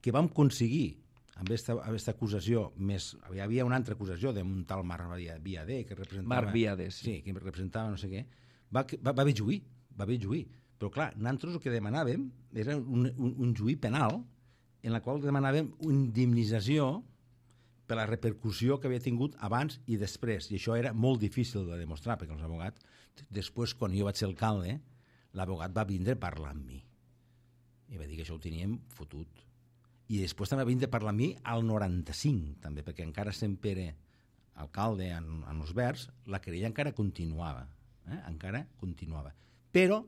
que vam aconseguir amb aquesta acusació més... Hi havia una altra acusació d'un tal Marc Viadé que representava... Marc Viadé, sí. Que representava no sé què. Va haver juí. Però clar, nosaltres el que demanàvem era un juí penal en la qual demanàvem una indemnització per la repercussió que havia tingut abans i després. I això era molt difícil de demostrar, perquè els abogats... Després, quan jo vaig ser alcalde, l'abogat va vindre a parlar amb mi. I va dir que això ho teníem fotut. I després també va vindre a parlar amb mi al 95, també, perquè encara sent Pere alcalde en els Verds, la querella encara continuava. Encara continuava. Però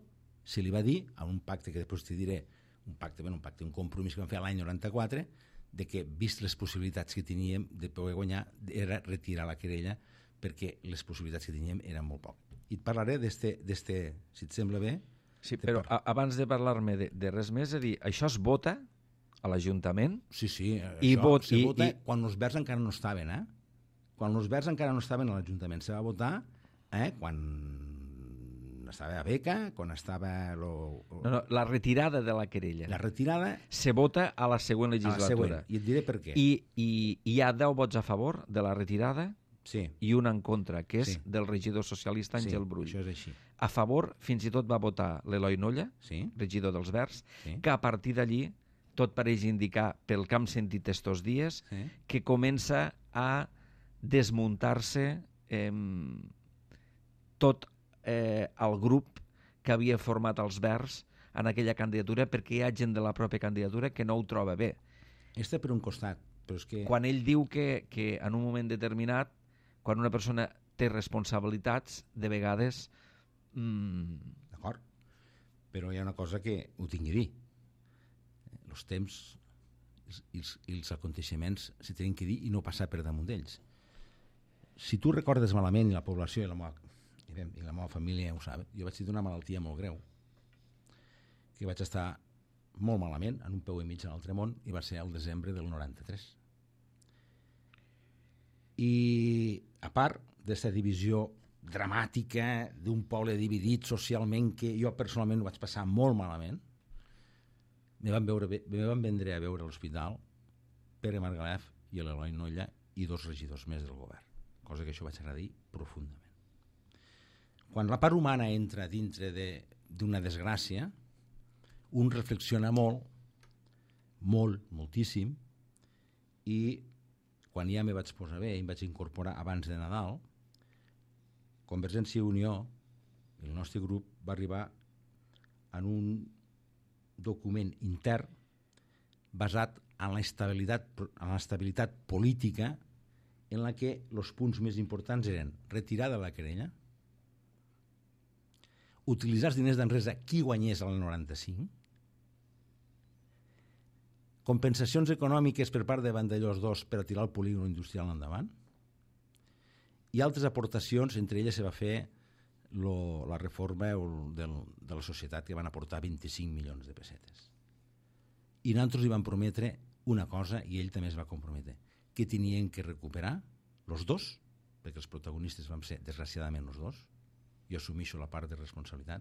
se li va dir, a un pacte que després t'hi diré, un compromís que vam fer l'any 94, de que, vist les possibilitats que teníem de poder guanyar, era retirar la querella, perquè les possibilitats que teníem eren molt poques. I et parlaré d'este, si et sembla bé... Sí, però abans de parlar-me de res més, és a dir, això es vota a l'Ajuntament? Sí, això se vota quan els Verds encara no estaven, Quan els Verds encara no estaven a l'Ajuntament. Se va votar quan estava a Beca, quan estava... No, la retirada de la querella. La retirada... Se vota a la següent legislatura. I et diré per què. I hi ha 10 vots a favor de la retirada i un en contra, que és del regidor socialista Àngel Brull. Això és així. A favor, fins i tot va votar l'Eloi Nolla, regidor dels Verds, que a partir d'allí tot pareix indicar, pel que hem sentit estos dies, que comença a desmuntar-se tot el grup que havia format els Verds en aquella candidatura, perquè hi ha gent de la pròpia candidatura que no ho troba bé. Està per un costat, però és que... Quan ell diu que en un moment determinat, quan una persona té responsabilitats, de vegades... D'acord, però hi ha una cosa que ho tinc a dir. Els temps i els aconteixements se tenen que dir i no passar per damunt d'ells. Si tu recordes malament, i la població i la meva família ho sap, jo vaig tenir una malaltia molt greu, que vaig estar molt malament, en un peu i mig en l'altre món, i va ser el desembre del 93. I a part d'aquesta divisió dramàtica d'un poble dividit socialment, que jo personalment ho vaig passar molt malament, me van vendre a veure a l'hospital Pere Margalef i l'Eloi Nolla i 2 regidors més del govern, cosa que això vaig agrair profundament. Quan la part humana entra dintre d'una desgràcia, un reflexiona moltíssim, i quan ja me vaig posar bé i em vaig incorporar abans de Nadal, Convergència i Unió, el nostre grup, va arribar en un document intern basat en l'estabilitat política, en la que els punts més importants eren retirar de la querella, utilitzar els diners d'Enresa qui guanyés el 95, compensacions econòmiques per part de Vandellòs 2 per a tirar el polígon industrial endavant, i altres aportacions. Entre elles se va fer la reforma de la societat, que van aportar 25 milions de pessetes. I nosaltres li vam prometre una cosa, i ell també es va comprometre, que tenien que recuperar els dos, perquè els protagonistes vam ser desgraciadament els dos, jo assumeixo la part de responsabilitat,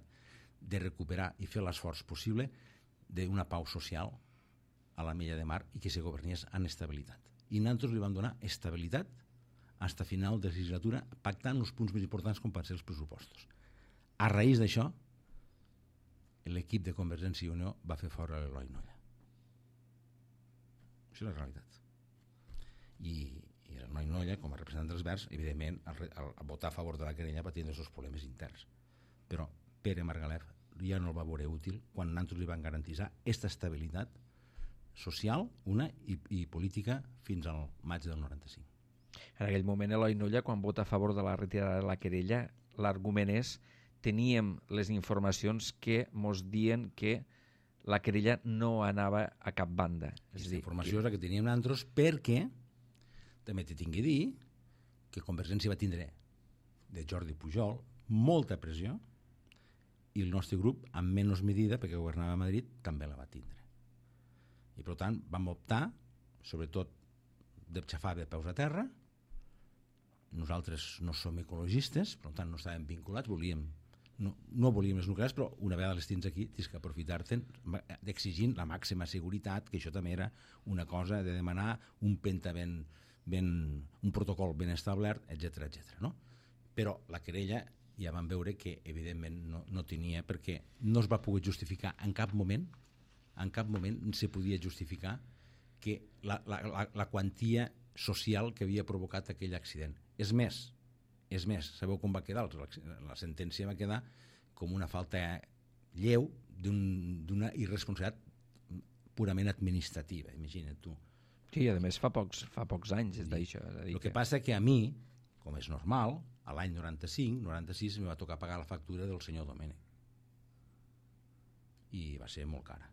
de recuperar i fer l'esforç possible d'una pau social a la Mella de Mar i que se governés en estabilitat. I nosaltres li vam donar estabilitat fins a final de legislatura, pactant els punts més importants com van ser els pressupostos. A raïs d'això, l'equip de Convergència i Unió va fer fora l'Eloi Nolla. Això és la realitat. I l'Eloi Nolla, com a representant dels Verds, evidentment, al votar a favor de la querella va tindre els seus problemes interns. Però Pere Margalef ja no el va veure útil quan nosaltres li van garantir aquesta estabilitat social, una, i política fins al maig del 95. En aquell moment, Eloi Nolla, quan vota a favor de la retirada de la querella, l'argument és: teníem les informacions que mos dien que la querella no anava a cap banda. Aquesta informació és la que teníem nosaltres, perquè també t'he tingut a dir que Convergència va tindre de Jordi Pujol molta pressió, i el nostre grup, en menys medida, perquè governava a Madrid, també la va tindre. I per tant vam optar, sobretot, de xafar de peus a terra. Nosaltres no som ecologistes, per tant no estàvem vinculats, no volíem les nuclears, però una vegada les tens aquí tens que aprofitar-te'n d'exigint la màxima seguretat, que això també era una cosa de demanar un un protocol ben establert, etc. No? Però la querella ja vam veure que evidentment no tenia, perquè no es va poder justificar en cap moment se podia justificar que la quantia social que havia provocat aquell accident. És més, sabeu com va quedar? La sentència va quedar com una falta lleu d'una irresponsabilitat purament administrativa, imagina't tu. Sí, i a més fa pocs anys és d'això. El que passa que a mi, com és normal, a l'any 95-96 me va tocar pagar la factura del senyor Domènech. I va ser molt cara.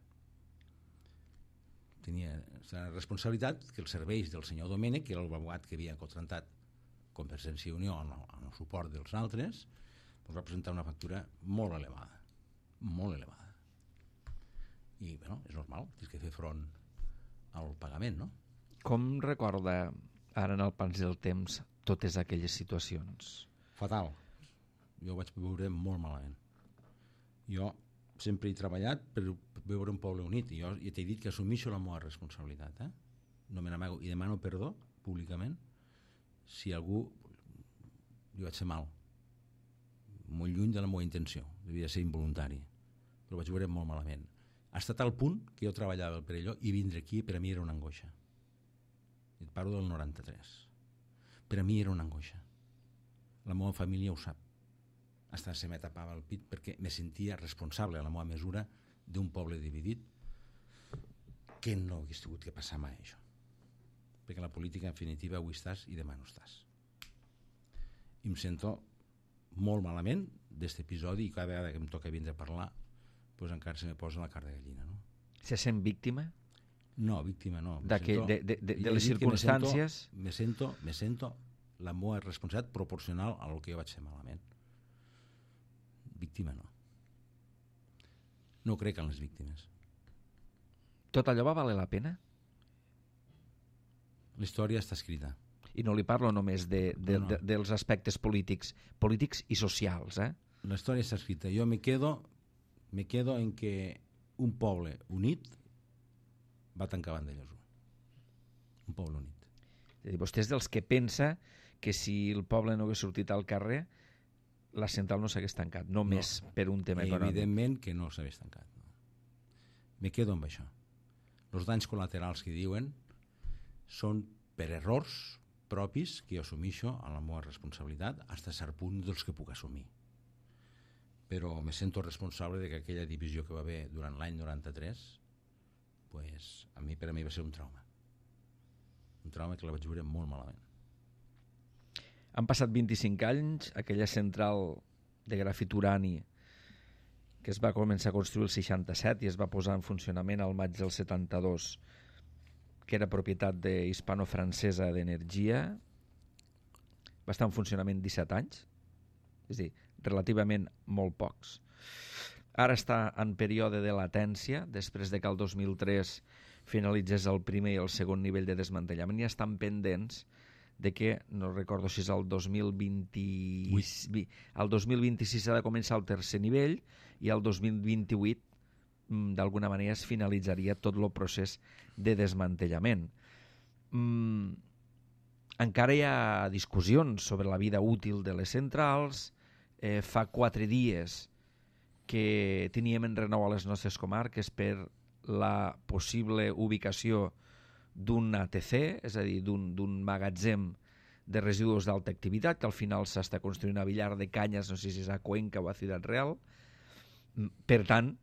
Tenia la responsabilitat que els serveis del senyor Domènech, que era l'abogat que havia contractat Convergència i Unió amb el suport dels altres, doncs va presentar una factura molt elevada. I, bueno, és normal, tens que fer front al pagament, no? Com recorda ara en el pas del temps totes aquelles situacions? Fatal. Jo ho vaig veure molt malament. Jo sempre he treballat per veure un poble unit, i jo t'he dit que assumeixo la meva responsabilitat, no me n'amago, i demano perdó públicament si algú li vaig fer mal, molt lluny de la meva intenció, devia ser involuntari, però vaig veure molt malament. Ha estat al punt que jo treballava al Perelló i vindre aquí per a mi era una angoixa. Et parlo del 93. Per a mi era una angoixa. La meva família ho sap. Hasta se me tapava el pit perquè me sentia responsable a la meva mesura d'un poble dividit, que no hagués tingut que passar mai això. Perquè la política, en definitiva, avui estàs i demà no estàs. I em sento molt malament d'aquest episodi, i cada vegada que em toca vindre a parlar doncs encara se me posa la carn de gallina, no? Se sent víctima? No, víctima no. De les circumstàncies? Me sento la meva responsabilitat proporcional a lo que jo vaig fer malament. Víctima no. No crec en les víctimes. Tot allò va valer la pena? La història està escrita. I no li parlo només dels aspectes polítics i socials, La història està escrita. Jo me quedo en que un poble unit va tancar Vandellòs 1. Un poble unit. És a dir, vostè és dels que pensa que si el poble no hagués sortit al carrer, la central no s'hagués tancat, només per un tema econòmic. Evidentment que no s'hagués tancat. No. Me quedo amb això. Els danys col·laterals que diuen són per errors propis que jo assumixo a la meva responsabilitat fins a cert punt dels que puc assumir. Però me sento responsable de que aquella divisió que va haver durant l'any 93 pues, per a mi va ser un trauma. Un trauma que la vaig veure molt malament. Han passat 25 anys, aquella central de grafit urani que es va començar a construir el 67 i es va posar en funcionament al maig del 72, que era propietat de hispano-francesa d'energia, va estar en funcionament 17 anys, és a dir, relativament molt pocs. Ara està en període de latència, després de que el 2003 finalitzés el primer i el segon nivell de desmantellament, i estan pendents de que, no recordo si és el 2026 ha de començar el tercer nivell i el 2028 d'alguna manera es finalitzaria tot el procés de desmantellament. Encara hi ha discussions sobre la vida útil de les centrals. Fa 4 dies que teníem en renou a les nostres comarques per la possible ubicació d'un ATC, és a dir, d'un magatzem de residus d'alta activitat, que al final s'està construint a Villar de Canyes, no sé si és a Cuenca o a Ciutat Real. Per tant,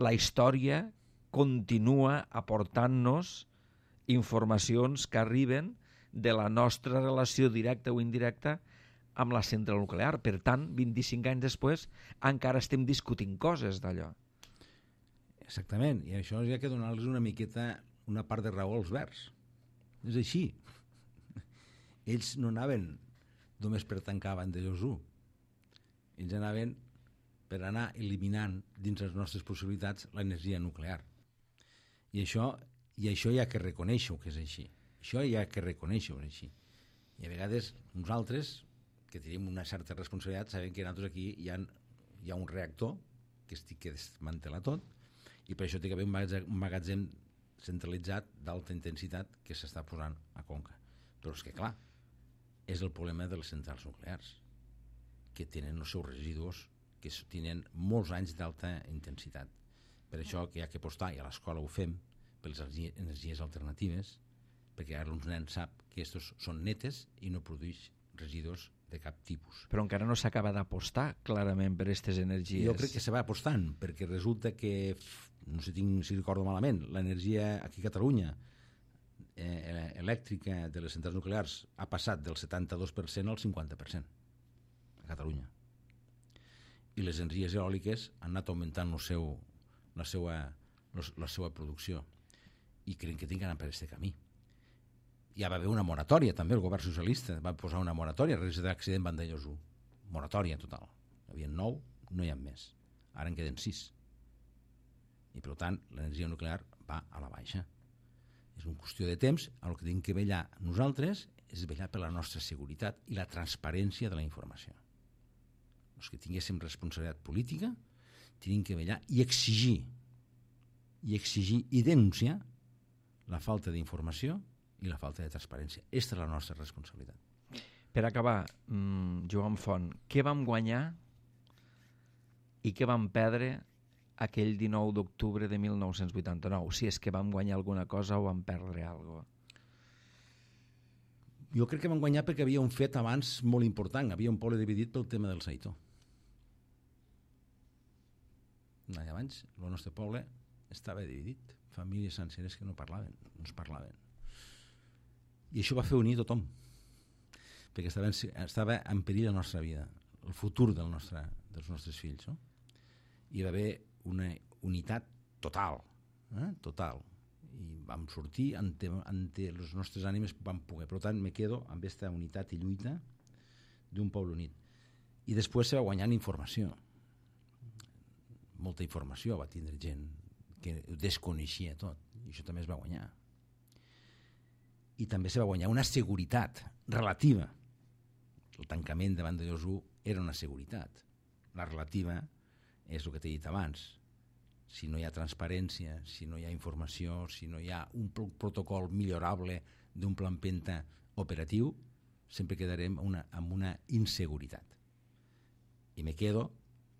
la història continua aportant-nos informacions que arriben de la nostra relació directa o indirecta amb la central nuclear. Per tant, 25 anys després, encara estem discutint coses d'allò. Exactament, i això hi ha que donar-los una miqueta, una part de raó als verds. És així. Ells no anaven només per tancar Vandellòs 1. Ells anaven per anar eliminant dins les nostres possibilitats l'energia nuclear. I això hi ha que reconèixer que és així. Això hi ha que reconèixer que és així. I a vegades nosaltres, que tenim una certa responsabilitat, sabem que nosaltres aquí hi ha un reactor que estic que desmantela tot, i per això té que haver un magatzem centralitzat d'alta intensitat que s'està posant a Conca. Però és que, clar, és el problema de les centrals nuclears, que tenen els seus residus, que tenen molts anys d'alta intensitat. Per això que hi ha que apostar, i a l'escola ho fem, per les energies alternatives, perquè ara uns nens sap que aquests són netes i no produeix residus de cap tipus. Però encara no s'acaba d'apostar clarament per aquestes energies. Jo crec que se va apostant, perquè resulta que, no sé si recordo malament, l'energia aquí a Catalunya elèctrica de les centrals nuclears ha passat del 72% al 50% a Catalunya. I les energies eòliques han anat augmentant la seva producció, i crec que tinc que anar per aquest camí. Ja va haver una moratòria, també, el govern socialista va posar una moratòria a raïs de l'accident Vandellòs 1. Moratòria total. Hi havia 9, no hi ha més. Ara en queden 6. I, per tant, l'energia nuclear va a la baixa. És una qüestió de temps. El que tenim que vetllar nosaltres és vetllar per la nostra seguretat i la transparència de la informació. Els que tinguéssim responsabilitat política tenim que vetllar i exigir i denunciar la falta d'informació i la falta de transparència. Aquesta és la nostra responsabilitat. Per acabar, Joan Font, què vam guanyar i què vam perdre aquell 19 d'octubre de 1989? Si és que vam guanyar alguna cosa o vam perdre alguna cosa. Jo crec que vam guanyar perquè havia un fet abans molt important. Havia un poble dividit pel tema del Saitó. Un any abans, el nostre poble estava dividit. Famílies senceres que no es parlaven. I això va fer unir tothom, perquè estava en perill la nostra vida, el futur dels nostres fills, no? I va haver una unitat total, total, i vam sortir ante les nostres ànimes vam poder. Per tant, me quedo amb aquesta unitat i lluita d'un poble unit. I després se va guanyant informació, molta informació va tindre gent que desconeixia tot, i això també es va guanyar. I també se va guanyar una seguretat relativa. El tancament de Vandellòs 1 era una seguretat. La relativa és el que t'he dit abans. Si no hi ha transparència, si no hi ha informació, si no hi ha un protocol millorable d'un pla empenta operatiu, sempre quedarem amb una inseguretat. I me quedo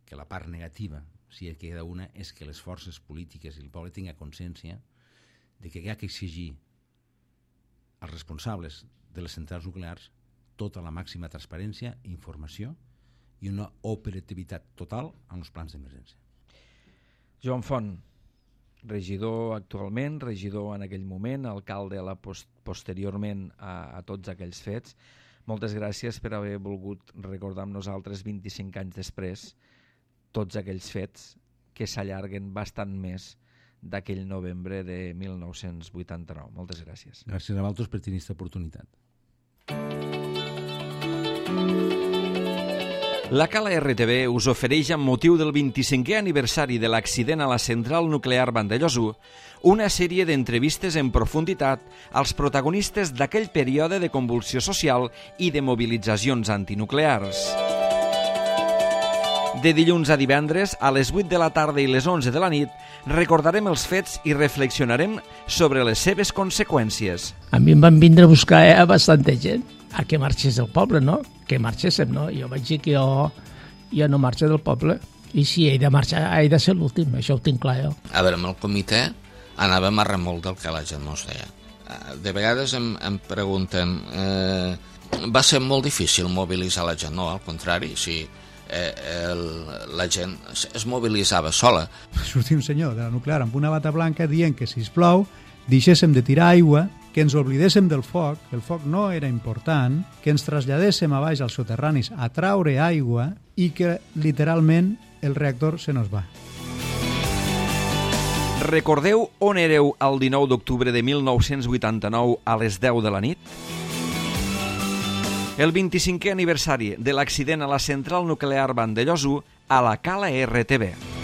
que la part negativa, si hi queda una, és que les forces polítiques i el poble tinguin consciència de que hi ha que exigir als responsables de les centrals nuclears tota la màxima transparència, informació i una operativitat total en els plans d'emergència. Joan Font, regidor actualment, regidor en aquell moment, alcalde posteriorment a tots aquells fets. Moltes gràcies per haver volgut recordar amb nosaltres 25 anys després tots aquells fets que s'allarguen bastant més d'aquell novembre de 1989. Moltes gràcies. Gràcies a vosaltres per tenir aquesta oportunitat. La Cala RTV us ofereix, amb motiu del 25è aniversari de l'accident a la central nuclear Vandellòs 1, una sèrie d'entrevistes en profunditat als protagonistes d'aquell període de convulsió social i de mobilitzacions antinuclears. De dilluns a divendres, a les 8 de la tarda i les 11 de la nit, recordarem els fets i reflexionarem sobre les seves conseqüències. A mi em van vindre a buscar bastanta gent a que marxés del poble, no? Que marxéssim, no? Jo vaig dir que jo no marxo del poble i si he de marxar he de ser l'últim, això ho tinc clar jo. A veure, amb el comitè anàvem a remolc del que la gent no es deia. De vegades em pregunten va ser molt difícil mobilitzar la gent? No, al contrari, si la gent es mobilitzava sola. Sortia un senyor de la nuclear amb una bata blanca dient que, sisplau, deixéssim de tirar aigua, que ens oblidéssim del foc, que el foc no era important, que ens traslladéssim a baix als soterranis a traure aigua i que, literalment, el reactor se nos va. Recordeu on éreu el 19 d'octubre de 1989 a les 10 de la nit? El 25è aniversari de l'accident a la central nuclear Vandellòs 1 a la Cala RTV.